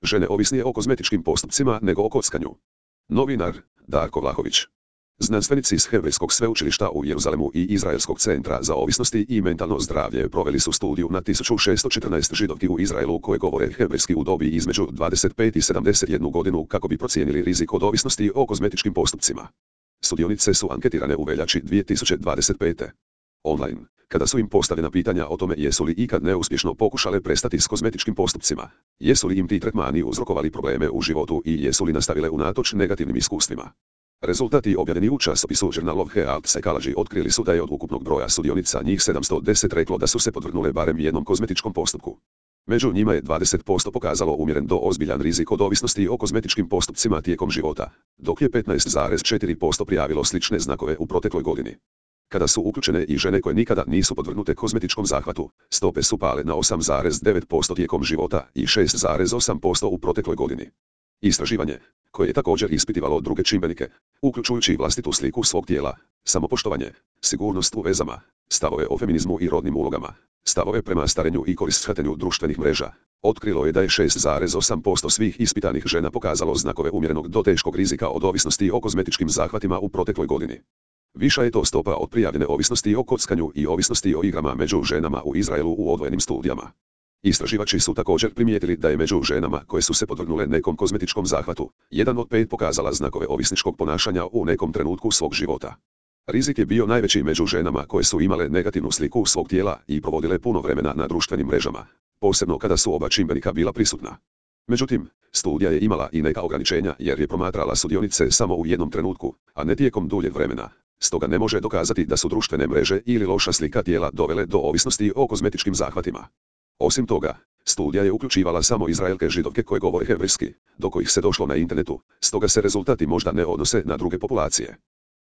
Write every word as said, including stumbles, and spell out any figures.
Žene ovisnije o kozmetičkim postupcima nego o kockanju. Novinar Darko Vlahović. Znanstvenici iz Hebrejskog sveučilišta u Jeruzalemu i Izraelskog centra za ovisnosti i mentalno zdravlje proveli su studiju na tisuću šessto četrnaest židovki u Izraelu koje govore hebrejski u dobi između dvadeset pet i sedamdeset jednu godinu kako bi procijenili rizik od ovisnosti o kozmetičkim postupcima. Sudionice su anketirane u veljači dvije tisuće dvadeset pete. Online, kada su im postavljena pitanja o tome jesu li ikad neuspješno pokušale prestati s kozmetičkim postupcima, jesu li im ti tretmani uzrokovali probleme u životu i jesu li nastavile unatoč negativnim iskustvima. Rezultati objavljeni u časopisu Journal of Health Psychology otkrili su da je od ukupnog broja sudionica njih sedamsto deset reklo da su se podvrgnule barem jednom kozmetičkom postupku. Među njima je dvadeset posto pokazalo umjeren do ozbiljan rizik od ovisnosti o kozmetičkim postupcima tijekom života, dok je petnaest zarez četiri posto prijavilo slične znakove u protekloj godini. Kada su uključene i žene koje nikada nisu podvrgnute kozmetičkom zahvatu, stope su pale na osam zarez devet posto tijekom života i šest zarez osam posto u protekloj godini. Istraživanje, koje je također ispitivalo druge čimbenike, uključujući vlastitu sliku svog tijela, samopoštovanje, sigurnost u vezama, stavove o feminizmu i rodnim ulogama, stavove prema starenju i korištenju društvenih mreža, otkrilo je da je šest zarez osam posto svih ispitanih žena pokazalo znakove umjerenog do teškog rizika od ovisnosti o kozmetičkim zahvatima u protekloj godini. Viša je to stopa od prijavljene ovisnosti o kockanju i ovisnosti o igrama među ženama u Izraelu u odvojenim studijama. Istraživači su također primijetili da je među ženama koje su se podvrgnule nekom kozmetičkom zahvatu, jedan od pet pokazala znakove ovisničkog ponašanja u nekom trenutku svog života. Rizik je bio najveći među ženama koje su imale negativnu sliku svog tijela i provodile puno vremena na društvenim mrežama, posebno kada su oba čimbenika bila prisutna. Međutim, studija je imala i neka ograničenja jer je promatrala sudionice samo u jednom trenutku, a ne tijekom duljeg vremena. Stoga ne može dokazati da su društvene mreže ili loša slika tijela dovele do ovisnosti o kozmetičkim zahvatima. Osim toga, studija je uključivala samo Izraelke židovke koje govore hebrejski, do kojih se došlo na internetu, stoga se rezultati možda ne odnose na druge populacije.